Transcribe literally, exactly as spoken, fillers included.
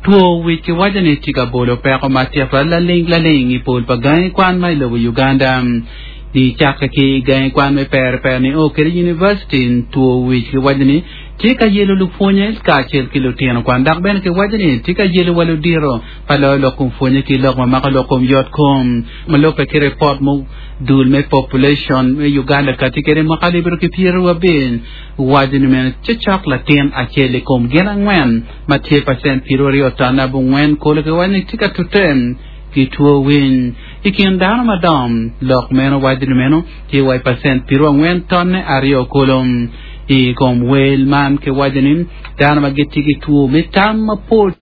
Two wic kiwaco ni tye ka bolo peko matek twal laling laling i pol pa gangi kwan ma i lobo Uganda. Nicakke ki gangi kwan me pere pere ni o kede university two wic kiwaco ni tye ka yelo lupwonye kacel ki lutino kwan dok bene kiwaco ni tye ka yelo wa ludito pa loyo lok kom pwonye ki lok ma mako lok kom yot kom ma lubbe ki ripot mo dul me population me Uganda kati kede mwaka alip aryo ki pyeraryo abic waco ni meno cocok latin acel i kom gin angwen ma tye pacent piero aryo ton abongwen kolo kiwaco ni tye ka tute ki two winy i kin dano madongo lok meno waco ni meno tye wa i pacent piero angwen tonne aryo kolo i kom wel man kiwaco ni dano ma gitye ki two me tam mapol.